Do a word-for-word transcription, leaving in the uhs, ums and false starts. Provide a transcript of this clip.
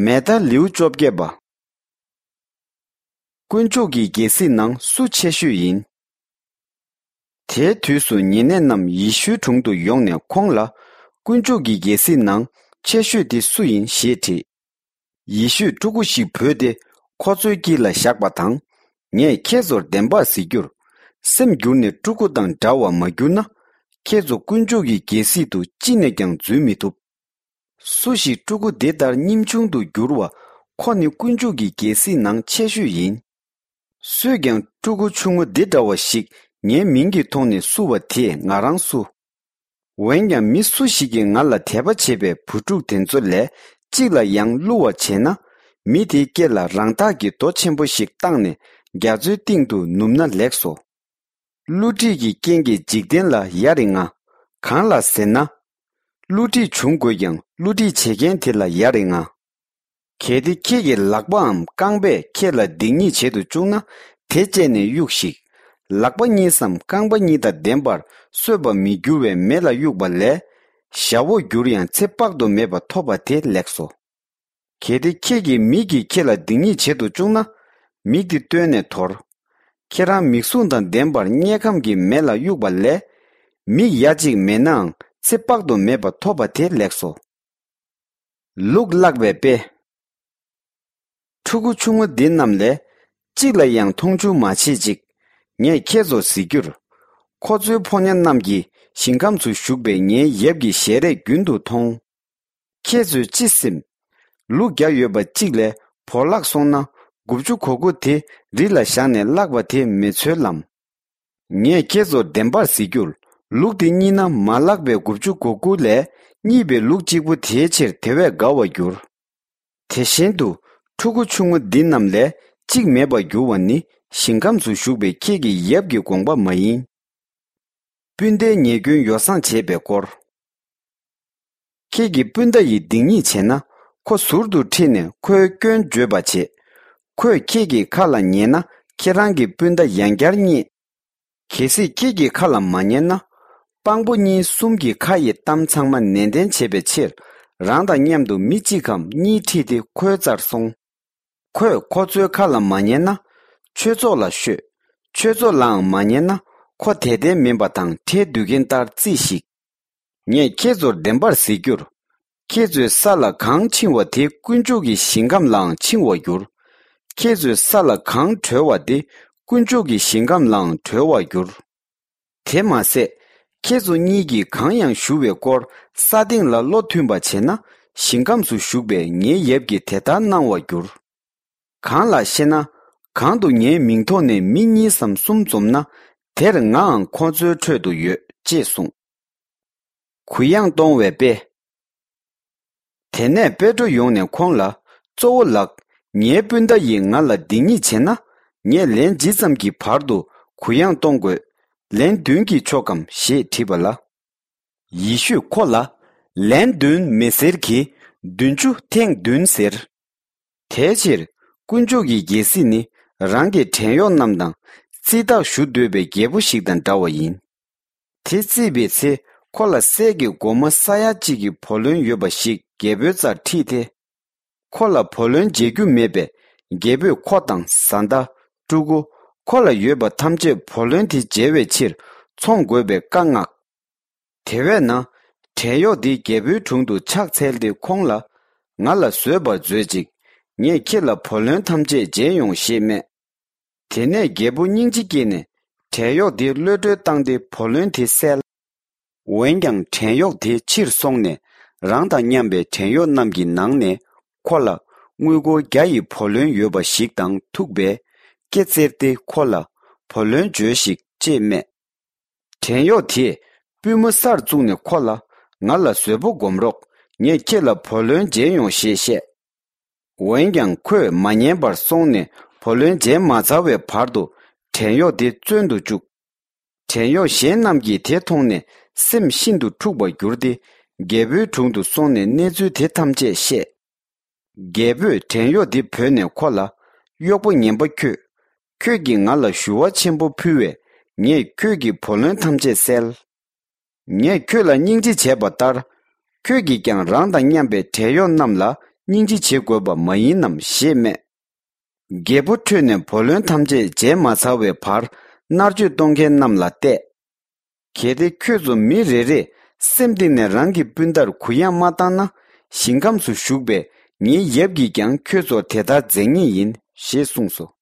མེ་ད་ལེའུ་བཅོ་བརྒྱད་པ། དཀོན་མཆོག་གི་རྒྱལ་སྲིད་ནང་སུ་ཆེ་ཤོས་ཡིན། དེའི་དུས་སུ་ཉེ་གནས་རྣམས་ཡེ་ཤུའི་དྲུང་དུ་ཡོང་ནས་ཁོང་ལ། དཀོན་མཆོག་གི་རྒྱལ་སྲིད་ནང་ཆེ་ཤོས་དེ་སུ་ཡིན་ཞེས་དྲིས། ཡེ་ཤུས་ཕྲུ་གུ་ཞིག་བོས་ཏེ་ཁོ་ཚོའི་དཀྱིལ་ལ་བཞག་པ་དང་། ངས་ཁྱེད་ཚོར་བདེན་པར་ཟེར་རྒྱུར། སེམས་འགྱུར་ནས་ཕྲུ་གུ་དང་འདྲ་བ་མ་གྱུར་ན། ཁྱེད་ཚོ་དཀོན་མཆོག་གི་རྒྱལ་སྲིད་དུ་ཅི་ནས་ཀྱང་འཛུལ་མི་ཐུབ། སུ་ཞིག་ཕྲུ་གུ་འདི་ལྟར་སྙེམས་ཆུང་དུ་འགྱུར་བ། ཁོ་ནི་དཀོན་མཆོག་གི་རྒྱལ་སྲིད་ནང་ཆེ་ཤོས་ཡིན། སུས་ཀྱང་ཕྲུ་གུ་ཆུང་ངུ་འདི་འདྲ་བ་ཞིག་ངའི་མིང་གི་ཐོག་ནས་བསུ་བ་དེས་ང་རང་བསུ། འོན་ཀྱང་མི་སུ་ཞིག་གིས་ང་ལ་དད་པ་བྱེད་པའི་བུ་ཕྲུག་དེ་ཚོ་ལས་གཅིག་ལ་ཡང་བསླུ་བ་བྱས་ན། མི་དེའི་སྐེ་ལ་རང་འཐག་གི་རྡོ་ཆེན་པོ་ཞིག་བཏགས་ནས་རྒྱ་མཚོའི་སྟེང་དུ་ནུབ་ན་ལེགས་སོ། བསླུ་བྲིད་ཀྱི་རྐྱེན་གྱིས་འཇིག་རྟེན་ལ་ཡ་རེ་ང་། གང་ལ་ཟེར་ན། བསླུ་བྲིད་བྱུང་དགོས་ཀྱང་བསླུ་བྲིད་བྱེད་མཁན་དེ་ལ་ཡ་རེ་ང་། གལ་ཏེ་ཁྱེད་ཀྱི་ལག་པའམ་རྐང་པས་ཁྱེད་ལ་སྡིག་ཉེས་བྱེད་དུ་བཅུག་ན་དེ་བཅད་ནས་གཡུགས་ཤིག། ལག་པ་གཉིས་སམ་རྐང་པ་གཉིས་དང་ལྡན་པར་གསོད་པར་མི་འགྱུར་བའི་མེ་ལ་གཡུགས་པ་ལས། ཞ་བོ་འགྱུར་ཡང་ཚེ་དཔག་ཏུ་མེད་པ་ཐོབ་པ་དེ་ལེགས་སོ། གལ་ཏེ་ཁྱེད་ཀྱི་མིག་གིས་ཁྱེད་ལ་སྡིག་ཉེས་བྱེད་དུ་བཅུག་ན། མིག་དེ་བཏོན་ནས་དོར། ཁྱེད་རང་མིག་ཟུང་དང་ལྡན་པར་དམྱལ་ཁམས་ཀྱི་མེ་ལ་གཡུགས་པ་ལས། མིག་ཡ་གཅིག་མེད་ནའང་ཚེ་དཔག་ཏུ་མེད་པ་ཐོབ་པ་དེ་ལེགས་སོ། ལུག་བརླག་པའི་དཔེ། ཕྲུ་གུ་ཆུང་ངུ་འདི་རྣམས་ལས། གཅིག་ལ་ཡང་མཐོང་ཆུང་མ་བྱེད་ཅིག། ངས་ཁྱེད་ཚོར་ཟེར་རྒྱུར། ཁོ་ཚོའི་ཕོ་ཉ་རྣམས་ཀྱིས་ཞིང་ཁམས་སུ་བཞུགས་པའི་ངའི་ཡབ་ཀྱི་ཞལ་རས་རྒྱུན་དུ་མཐོང་། ཁྱེད་ཚོས་ཅི་སེམས། ལུག་བརྒྱ་ཡོད་པ་གཅིག་ལས་བོར་བརླག་སོང་ན། དགུ་བཅུ་གོ་དགུ་དེ་རི་ལ་བཞག་ནས་བརླག་པ་དེ་མི་འཚོལ་ལམ། ངས་ཁྱེད་ཚོར་བདེན་པར་ཟེར་རྒྱུར། ལུག་དེ་རྙེད་ན་མ་བརླག་པའི་དགུ་བཅུ་གོ་དགུ་ལས་རྙེད་པའི་ལུག་གཅིག་པུ་དེའི་ཕྱིར་དེ་བས་དགའ་བར་འགྱུར། དེ་བཞིན་དུ། ཕྲུ་གུ་ཆུང་ངུ་འདི་རྣམས་ལས་གཅིག་མེད་པར་འགྱུར་བ་ནི་ཞིང་ཁམས་སུ་བཞུགས་པའི་ཁྱེད་ཀྱི་ཡབ་ཀྱི་དགོངས་པ་མ་ཡིན། སྤུན་ཟླའི་ཉེས་སྐྱོན་ཡོ་བསྲང་བྱེད་པའི་སྐོར། ཁྱེད་ཀྱི་སྤུན་ཟླ་ཡིས་སྡིག་ཉེས་བྱས་ན། ཁོ་ཟུར་དུ་ཁྲིད་ནས་ཁོའི་སྐྱོན་བརྗོད་པ་བྱེད། ཁོས་ཁྱེད་ཀྱི་ཁ་ལ་ཉན་ན། ཁྱེད་རང་གི་སྤུན་ཟླ་ཡང་བསྐྱར་རྙེད། གལ་སྲིད་ཁྱེད་ཀྱི་ཁ་ལ་མ་ཉན་ན། དཔང་པོ་གཉིས་གསུམ་གྱི་ཁ་ཡི་གཏམ་ཚང་མ་ནན་ཏན་བྱེད་པའི་ཕྱིར། རང་དང་མཉམ་དུ་མི་གཅིག་གམ་གཉིས་ཁྲིད་དེ་ཁོའི་རྩར་སོང་། ཁོས་ཁོ་ཚོའི་ཁ་ལ་མ་ཉན་ན། ཆོས་ཚོགས་ལ་ཤོད། ཆོས་ཚོགས་ལའང་མ་ཉན་ན། ཁོ་དད་ལྡན་མིན་པ་དང་ཁྲལ་བསྡུ་མཁན་ལྟར་རྩིས་ཤིག། ངས་ཁྱེད་ཚོར་བདེན་པར་ཟེར་རྒྱུར། ཁྱེད་ཚོའི་ས་ལ་གང་འཆིང་བ་དེ་དཀོན་མཆོག་གི་ཞིང་ཁམས་ལའང་འཆིང་བར་འགྱུར། ཁྱེད་ཚོའི་ས་ལ་གང་གྲོལ་བ་དེ་དཀོན་མཆོག་གི་ཞིང་ཁམས་ལའང་གྲོལ་བར་འགྱུར། དེ་མ་ཟད། ཁྱེད་ཚོ་གཉིས་ཀྱིས་གང་ཡང་ཞུ་བའི་སྐོར་ས་སྟེང་ལ་བློ་མཐུན་པ་བྱས་ན། ཞིང་ཁམས་སུ་བཞུགས་པའི་ངའི་ཡབ་ཀྱིས་དེ་ལྟར་གནང་བར་འགྱུར། གང་ལགས་ཤེ་ན། གང་དུ་ངའི་མིང་ཐོག་ནས་མི་གཉིས་སམ་གསུམ་འཛོམས་ན། དེར་ངའང་ཁོ་ཚོའི་ཁྲོད་དུ་ཡོད་ཅེས་གསུངས། གུ་ཡངས་གཏོང་བའི་དཔེ། དེ་ནས་པེ་ཏྲོ་ཡོང་ནས་ཁོང་ལ། གཙོ་བོ་ལགས། ངའི་སྤུན་ཟླ་ཡིས་ང་ལ་སྡིག་ཉེས་བྱས་ན། ངས་ལན་ཇི་ཙམ་གྱི་བར་དུ་གུ་ཡངས་གཏོང་དགོས། ལན་བདུན་གྱིས་ཆོག་གམ་ཞེས་དྲིས་པ་ལ། ཡེ་ཤུས་ཁོ་ལ། ལན་བདུན་མི་ཟེར་གྱི། བདུན་ཅུ་ཐེངས་བདུན་ཟེར། དེའི་ཕྱིར། དཀོན་མཆོག་གི་རྒྱལ་སྲིད་ནི། རང་གི་བྲན་གཡོག་རྣམས་དང་། རྩིས་བདག་ཞུ་འདོད་པའི་རྒྱལ་པོ་ཞིག་དང་འདྲ་བ་ཡིན། དེ་རྩིས་པའི་ཚེ། ཁོ་ལ་གསེར་གྱི་སྒོར་མོ་ས་ཡ་གཅིག་གི་བུ་ལོན་ཡོད་པ་ཞིག་རྒྱལ་པོའི་རྩར་ཁྲིད་དེ། ཁོ་ལ་བུ་ལོན་འཇལ་རྒྱུ་མེད་པས། རྒྱལ་པོས་ཁོ་དང་བཟའ་ཟླ། ཕྲུ་གུ། ཁོ་ལ་ཡོད་པ་ཐམས་ཅད་བུ་ལོན་དེ་འཇལ་བའི་ཕྱིར། འཚོང་དགོས་པའི་བཀའ་མངགས། དེ་བས་ན། བྲན་གཡོག་དེ་རྒྱལ་པོའི་དྲུང་དུ་ཕྱག་འཚལ་ཏེ་ཁོང་ལ། ང་ལ་བཟོད་པར་མཛོད་ཅིག། ངས་ཁྱེད་ལ་བུ་ལོན་ཐམས་ཅད་འཇལ་ཡོང་ཞེས་སྨྲས། དེ་ནས་རྒྱལ་པོ་སྙིང་རྗེ་སྐྱེས་ནས། བྲན་གཡོག་དེ་གློད་གྲོལ་བཏང་སྟེ་བུ་ལོན་དེ་བསལ། འོན་ཀྱང་བྲན་གཡོག་དེ་ཕྱིར་སོང་ནས། རང་དང་མཉམ་པའི་བྲན་གཡོག་རྣམས་ཀྱི་ནང་ནས། ཁོ་ལ། དངུལ་སྒོར་བརྒྱ་ཡི་བུ་ལོན་ཡོད་པ་ཞིག་དང་ཐུག་པས། སྐེ་བཙིར་ཏེ་ཁོ་ལ། བུ་ལོན་འཇལ་ཞིག་ཅེས་སྨྲས། བྲན་གཡོག་དེས་པུས་མོ་སར་བཙུགས་ནས་ཁོ་ལ། ང་ལ་བཟོད་པོ་སྒོམ་རོགས། ངས་ཁྱེད་ལ་བུ་ལོན་འཇལ་ཡོང་ཞེས་བཤད། འོན་ཀྱང་ཁོས་མ་ཉན་པར་སོང་ནས་བུ་ལོན་འཇལ་མ་ཚར་བའི་བར་དུ་བྲན་གཡོག་དེ་བཙོན་དུ་བཅུག། བྲན་གཡོག་གཞན་རྣམས་ཀྱིས་དེ་མཐོང་ནས་སེམས་ཤིན་ཏུ་འཁྲུགས་པར་གྱུར་ཏེ། རྒྱལ་པོའི་དྲུང་དུ་སོང་ནས་གནས་ཚུལ་དེ་ཐམས་ཅད་བཤད། རྒྱལ་པོས་བྲན་གཡོག་དེ་བོས་ནས་ཁོ་ལ། གཡོག་པོ་ངན་པ་ཁྱོད། ཁྱོད་ཀྱིས་ང་ལ་ཞུ་བ་ཆེན་པོ་ཕུལ་བས། ངས་ཁྱོད་ཀྱི་བུ་ལོན་ཐམས་ཅད་བསལ། ངས་ཁྱོད་ལ་སྙིང་རྗེ་བྱས་པ་ལྟར། ཁྱོད་ཀྱིས་ཀྱང་རང་དང་མཉམ་པའི་བྲན་གཡོག་རྣམས་ལ་ སྙིང་རྗེ་བྱེད་དགོས་པ་མ་ཡིན་ནམ་ཞེས་སྨྲས། རྒྱལ་པོ་ཁྲོས་ནས་བུ་ལོན་ཐམས་ཅད་འཇལ་མ་ཚར་བའི་བར་མནར་གཅོད་གཏོང་མཁན་རྣམས་ལ་གཏད། གལ་ཏེ་ཁྱོད་ཚོ་མི་རེ་རེས་སེམས་གཏིང་ནས་རང་གི་སྤུན་ཟླར་གུ་ཡངས་མ་བཏང་ན། ཞིང་ཁམས་སུ་བཞུགས་པའི་ངའི་ཡབ་ཀྱིས་ཀྱང་ཁྱོད་ཚོར་དེ་ལྟར་མཛད་ངེས་ཡིན་ཞེས་གསུངས་སོ།